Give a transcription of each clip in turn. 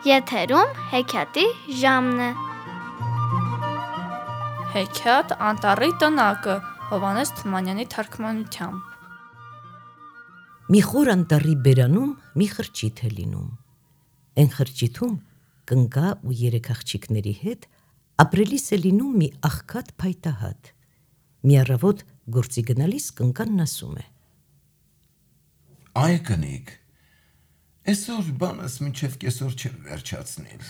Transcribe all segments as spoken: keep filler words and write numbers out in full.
Եթերում հեքիաթի ժամն է։ Հեքիաթ Անտառի տնակը Հովհաննես Թումանյանի թարգմանությամբ։ Մի խոր անտառի բերանում մի խրճիթ է լինում։ Էն խրճիթում կնկա ու երեք աղջիկների հետ ապրելիս է լինում մի աղքատ փայտահատ։ Մի առավոտ գործի գնալիս կնկանն ասում է. Այ կնիկ, այսօր բանս մինչև կեսօր չեմ վերջացնել։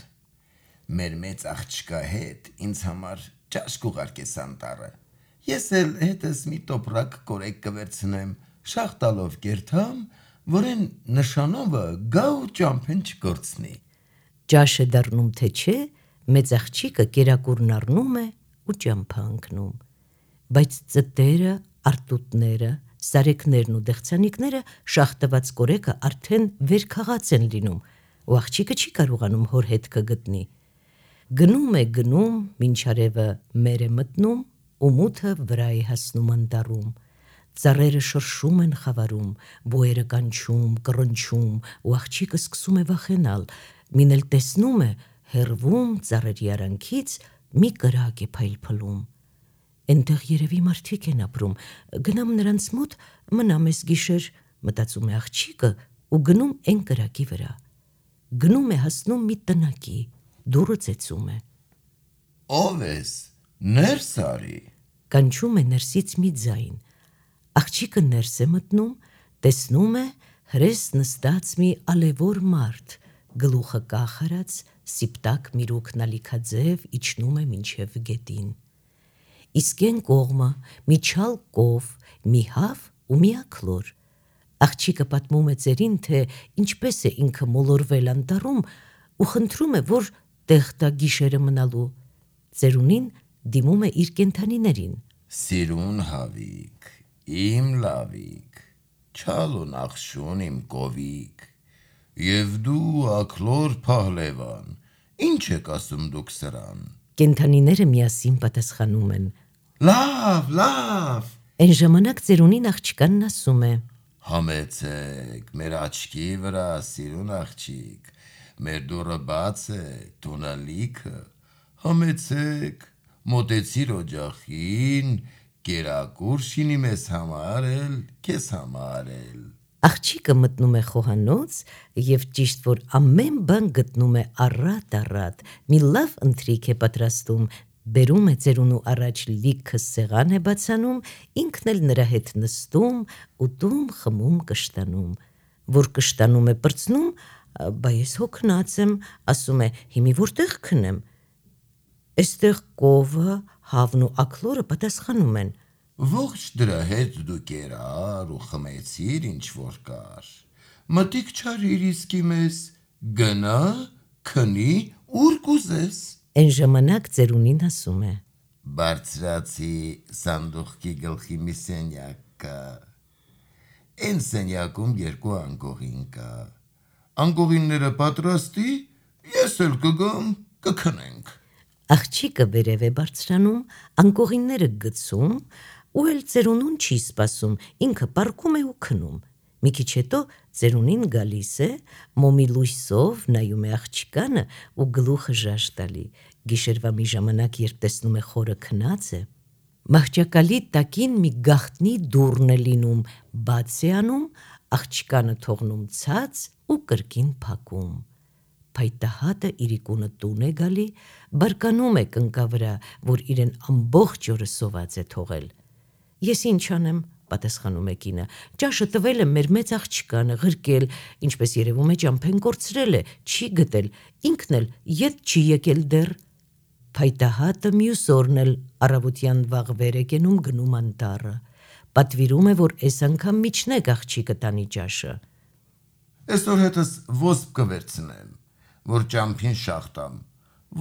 Մեր մեծ աղջկա հետ ինձ համար ճաշկ ուղարկես անտառը։ Ես էլ հետս մի տոպրակ կորեկ կվերցնեմ, շաղ տալով կերթամ, որ են նշանովը գա ու ճամփեն չկորցնի։ Ճաշ է դառնում թե չէ, մեծ աղջիկը կերակուրն առնում է ու ճամփա ընկնում։ Բայց ծտերը, արտուտները, սարեկներն ու դեղցանիկները շաղ տված կորեկը արդեն վերքաղաց են լինում, ու աղջիկը չի կարողանում հոր հետքը գտնի։ Գնում է գնում, մինչ արևը մեր է մտնում, ու մութը վրա է հասնում անտառում։ Ծառերը շրշում են խավարում, բոյերը կանչում, կռնչում, ու աղջիկը սկսում է վախենալ, մին էլ տեսնում է հեռվում ծառերի արանքից մի կրակ է փայլփլում։ Էնտեղ երևի մարդիկ են ապրում, գնամ նրանց մոտ, մնամ էս գիշեր, մտածում է աղջիկը ու գնում էն կրակի վրա։ Գնում է հասնում մի տնակի, դուռը ծեծում է։ Ո՞վ ես, ներս արի։ Կանչում է ներսից մի ձայն։ Աղջիկը ներս է մտնում, տեսնում է հրես նստած մի ալևոր մարդ, գլուխը կախարած, սիպտակ միրուքն ալիքաձև իջնում է մինչև գետին։ Իսկ էն կողմը մի չալ կով, մի հավ ու մի աքլոր։ Աղջիկը պատմում է ծերին, թե ինչպես է ինքը մոլորվել անտառում ու խնդրում է, որ տեղ տա գիշերը մնալու։ Ծերունին դիմում է իր կենդանիներին. Սիրուն հավիկ, իմ լավիկ, չալ ու նախշուն իմ կովիկ, և դու աքլոր փահլևան, ինչ եք ասում դուք սրան։ Կենդանիները միասին պատասխանում են. Լավ, լավ։ Էն ժամանակ ծերունին աղջկանն ասում է. Համեցեք, մեր աչքի վրա, սիրուն աղջիկ, մեր դուռը բաց է, տունը լիքը, համեցեք, մոտեցիր օջախին, կերակուր շինի մեզ համար էլ, քեզ համար էլ։ Աղջիկը մտնում է խոհանոց և ճիշտ որ ամեն բան գտնում է առատ-առատ, մի լավ ընթրիք է պատրաստում, բերում է ծերունու առաջ լիքը սեղան է բացանում, ինքն էլ նրա հետ նստում, ուտում, խմում, կշտանում։ Որ կշտանում է պրծնում, բա ես հոգնած եմ, ասում է, հիմի որտեղ քնեմ։ Էստեղ կովը, հավն ու աքլորը պատասխանում են. Ողջ դրա հետ դու կերար ու խմեցիր ինչ որ կար, մտիկ չարիր իսկի մեզ, գնա, քնի, ուր կուզես։ Էն ժամանակ ծերունին ասում է. Բարձրացի սանդուղքի գլխի մի սենյակ կա, էն սենյակում երկու անկողին կա, անկողինները պատրաստի, ես էլ կգամ, կքնենք։ Աղջիկը վերև է բարձրանում, անկողինները գցում, ու էլ ծերունուն չի սպասում, ինքը պառկում է ու քնում։ Մի քիչ հետո ծերունին գալիս է, մոմի լույսով նայում է աղջկանը ու գլուխը ժաժ տալի։ Գիշերվա մի ժամանակ, երբ տեսնում է խորը քնած է, մահճակալի տակին մի գաղտնի դուռն է լինում, բաց է անում, աղջկանը թողնում ցած ու կրկին փակում։ Փայտահատը իրիկունը տուն է գալի, բարկանում է կնկա վրա, որ իրեն ամբողջ օրը սոված է թողել։ Ես ինչ անեմ, պատասխանում է կինը, ճաշը տվել եմ մեր մեծ աղջկանը, ղրկել, ինչպես երևում է ճամփեն կորցրել է, չի գտել, ինքն էլ ետ չի եկել դեռ։ Փայտահատը մյուս օրն էլ առավոտյան վաղ վեր է կենում, գնում անտառը, պատվիրում է, որ էս անգամ միջնեք աղջիկը տանի ճաշը։ Այսօր հետս ոսպ կվերցնեմ, որ ճամփին շաղ տամ,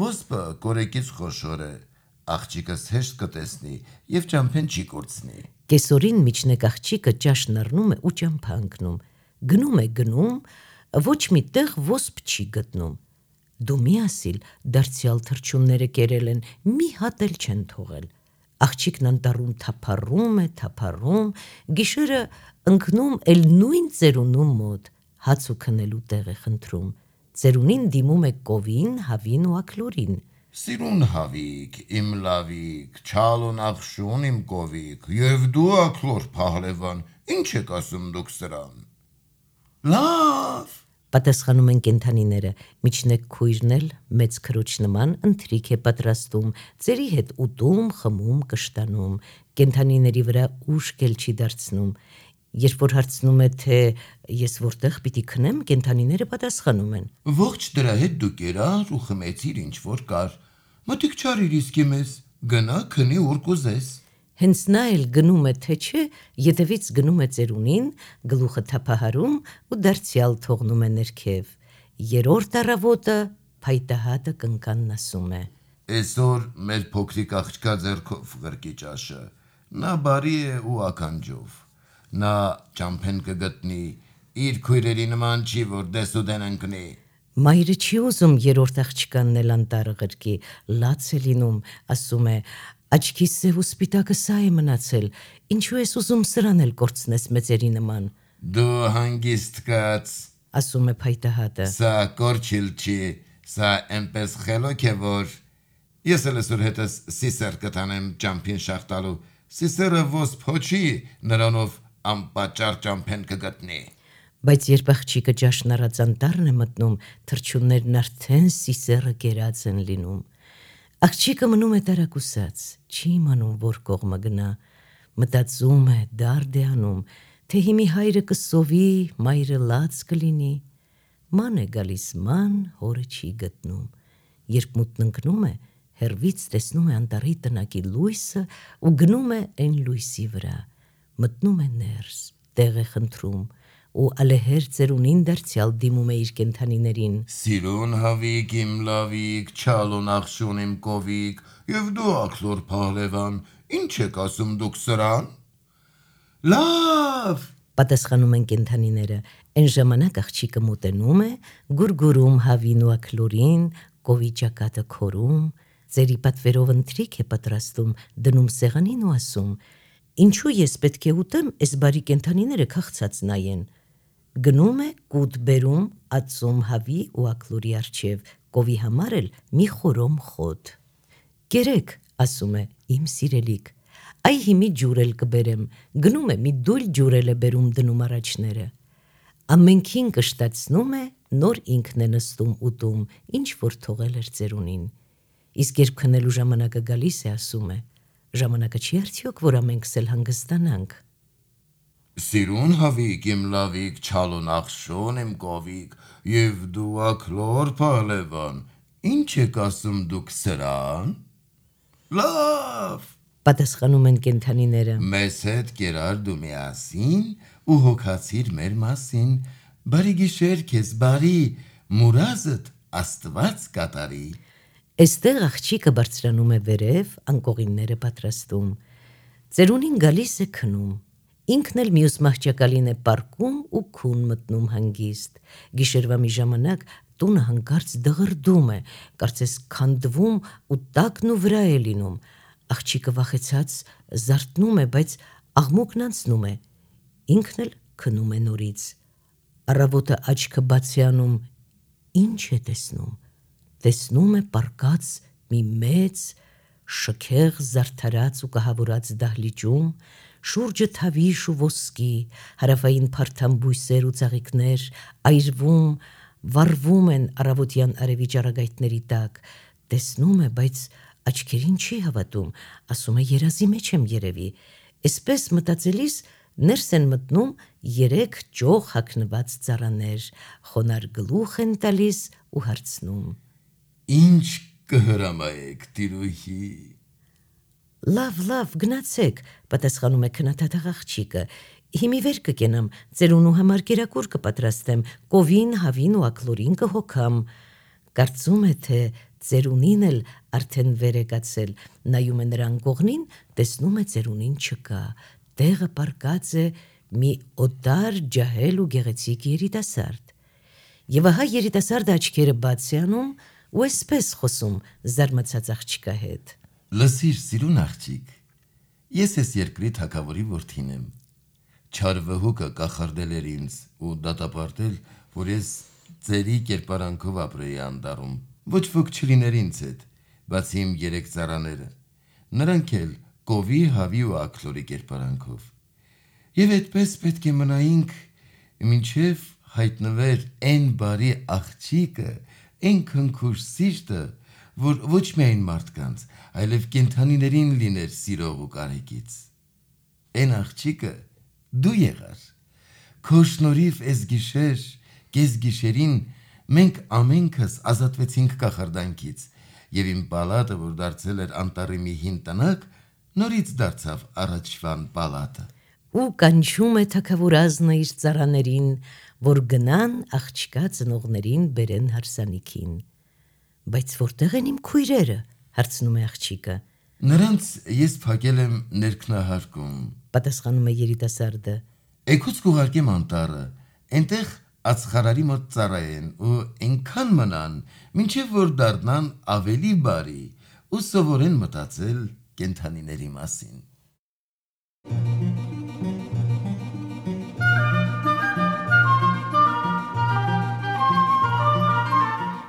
ոսպը կորեկից խոշոր է, աղջիկս հեշտ կտեսնի և ճամփեն չի կորցնի։ Կեսօրին միջնեք աղջիկը ճաշն առնում է ու ճամփա ընկնում, գնում է գնում, ոչ մի տեղ ոսպ չի գտնում։ Դու մի ասիլ, դարձյալ թռչունները կերել են, մի հատ էլ չեն թողել։ Աղջիկն անտառում թափառում է, թափառում, գիշերը ընկնում էլ նույն ծերունու մոտ, հաց ու քնելու տեղ է խնդրում։ ծերունին դիմում է կովին, հավին ու աքլորին։ Սիրուն հավիկ, իմ լավիկ, չալուն աղշուն իմ կովիկ, և դու աքլոր Փահլևան, ինչ եք ասում դուք սրան։ Լավ, Պատասխանում են կենդանիները, միջնեկ քույրն էլ մեծ քրոջ նման ընթրիք է պատրաստում, ծերի հետ ուտում, խմում, կշտանում, կենդանիների վրա ուշք էլ չի դարձնում։ Երբ որ հարցնում է, թե ես որտեղ պիտի քնեմ, կենդանիները պատասխանում են. ողջ դրա հետ դու կերար ու խմեցիր ինչ որ կար, մտիկ չարիր իսկի մեզ, գնա քնի ուր կուզես։ Հենց նա էլ գնում է, թե չէ, ետևից գնում է ծերունին, գլուխը թափահարում ու դարձյալ թողնում է ներքև։ Երրորդ առավոտը փայտահատը կնկանն ասում է. Այսօր մեր փոքրիկ աղջկա ձեռքով ղրկի ճաշը, նա բարի է ու ականջով, նա ճամփեն կգտնի, իր քույրերի նման չի, որ դես ու դեն ընկնի։ Մայրը չի ուզում երրորդ աղջկանն էլ անտառը ղրկի, լաց է լինում, ասում է. աչքի սև ու սպիտակը սա է մնացել, ինչու ես ուզում սրան էլ կորցնես մեծերի նման։ Դու հանգիստ կաց, Ասում է փայտահատը։ սա կորչիլ չի, սա էնպես խելոք է, որ ես էլ այսօր հետս սիսեր կտանեմ ճամփին շախտալու, սիսերը ոս փոչի, նրանով անպատճառ ճամփեն կգտնի։ Բայց երբ աղջիկը ճաշն առած անտառն է մտնում, թռչուններն արդեն սիսերը կերած են լինում։ Աղջիկը մնում է տարակուսած, չի իմանում որ կողմը գնա, մտածում է, դարդ է անում, թե հիմի հայրը կսովի, մայրը լաց կլինի։ Ման է գալիս ման, հորը չի գտնում։ Երբ մութն ընկնում է, հեռվից տեսնում է անտառի տնակի լույսը ու գնում է այն լույսի վրա, մտնում է ներս, տեղ է խնդրում ու ալեհեր ծերունին դարձյալ դիմում է իր կենդանիներին. Սիրուն հավիկ իմ լավիկ, չալուն աղշուն իմ կովիկ, և դու աքլոր Փահլևան, ինչ եք ասում դուք սրան։ Լավ, Պատասխանում են կենդանիները, այն ժամանակ աղջիկը մոտենում է, գուրգուրում հավին ու աքլորին, կովի ճակատը քորում, ծերի պատվերով ընթրիք է պատրաստում, դնում սեղանին ու ասում. ինչու ես պետք է ուտեմ, այս բարի կենդանիները քաղցած նայեն։ Գնում է կուտ բերում, ածում հավի ու աքլորի առջև, կովի համար էլ մի խորոմ խոտ։ Կերեք, ասում է, իմ սիրելիք, այ հիմի ջուր էլ կբերեմ, գնում է մի դույլ ջուր էլ է բերում դնում առաջները։ Ամենքին կշտացնում է, նոր ինքն է նստում ուտում, ինչ որ թողել էր ծերունին։ Իսկ երբ քնելու ժամանակը գալիս է, ասում է. ժամանակը չի արդյոք, որ ամենքս էլ հանգստանանք։ Սիրուն հավիկ իմ լավիկ, չալուն աղշուն իմ կովիկ, և դու աքլոր Փահլևան, ինչ եք ասում դուք սրան։ Լավ, Պատասխանում են կենդանիները. մեզ հետ կերար դու միասին ու հոգացիր մեր մասին, բարի գիշեր քեզ բարի, մուրազդ աստված կատարի։ Այստեղ աղջիկը բարձրանում է վերև, անկողինները պատրաստում։ Ծերունին գալիս է քնում։ Ինքն էլ մյուս մահճակալին է պառկում ու քուն մտնում հանգիստ։ Գիշերվա մի ժամանակ տունը հանկարծ դղրդում է, կարծես քանդվում ու տակն ու վրա է լինում։ Աղջիկը վախեցած զարթնում է, բայց աղմուկն անցնում է։ Ինքն էլ քնում է նորից։ Առավոտը աչքը բաց է անում, ինչ է տեսնում։ Տեսնում է պառկած մի մեծ, շքեղ զարդարած ու կահավորած դահլիճում, շուրջը թավիշ ու ոսկի, հարավային փարթամ բույսեր ու ծաղիկներ, այրվում, վառվում են առավոտյան արևի ճառագայթների տակ, տեսնում է, բայց աչքերին չի հավատում, ասում է երազի մեջ եմ երևի։ Այսպես մտածելիս ներս են մտնում երեք ճոխ հագնված ծառաներ, խոնար գլուխ են տալիս ու հարցնում. Ինչ կհրամայեք տիրուհի։ Լավ, լավ, գնացեք, պատասխանում է քնաթաթ աղջիկը, հիմի վեր կկենամ, ծերունու համար կերակուր կպատրաստեմ, կովին, հավին ու աքլորին կհոգամ։ Կարծում է, թե ծերունին էլ արդեն վեր է կացել, նայում է նրան կողնին, տեսնում է ծերունին չկա, տեղը պառկած է մի օտար, ջահել ու գեղեցիկ երիտասարդ։ Եվ ահա երիտասարդը աչքերը բաց է անում ու այսպես խոսում զարմացած աղջկա հետ. Լսիր, սիրուն աղջիկ, ես ես երկրի թագավորի որդին եմ, չար վհուկը կախարդել էր ինձ ու դատապարտել, որ ես ծերի կերպարանքով ապրեի անտառում, ոչ ոք չլիներ ինձ հետ, բացի իմ երեք ծառաները, նրանք էլ կովի, հավի ու աքլորի կերպարանքով։ Եվ այդպես պետք է մնայինք, մինչև հայտնվեր այն բարի աղջիկը, այն քնքուշ սիրտը, որ ոչ միայն մարդկանց, այլև կենդանիներին լիներ սիրող ու կարեկից։ Այն աղջիկը դու եղար։ Քո շնորհիվ այս գիշեր, կես գիշերին մենք ամենքս ազատվեցինք կախարդանքից, եւ իմ պալատը, որ դարձել էր անտառի մի հին տնակ, նորից դարձավ առաջվան պալատը։ Ու կանչում է թագավորազնը իր ծառաներին, որ գնան աղջկա ծնողներին բերեն հարսանիքին։ Բայց որտեղ են իմ քույրերը, հարցնում է աղջիկը։ Նրանց ես փակել եմ ներքնահարկում, Պատասխանում է երիտասարդը։ Էգուց կուղարկեմ անտառը, այնտեղ ածխարարի մոտ ծառայեն ու այնքան մնան, մինչև որ դառնան ավելի բարի ու սովորեն մտածել կենդանիների մասին։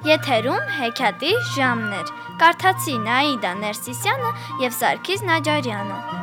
Եթերում հեքիաթի ժամն էր։ Կարդացի Նաիդա Ներսիսյանը եւ Սարգիս Նաջարյանը։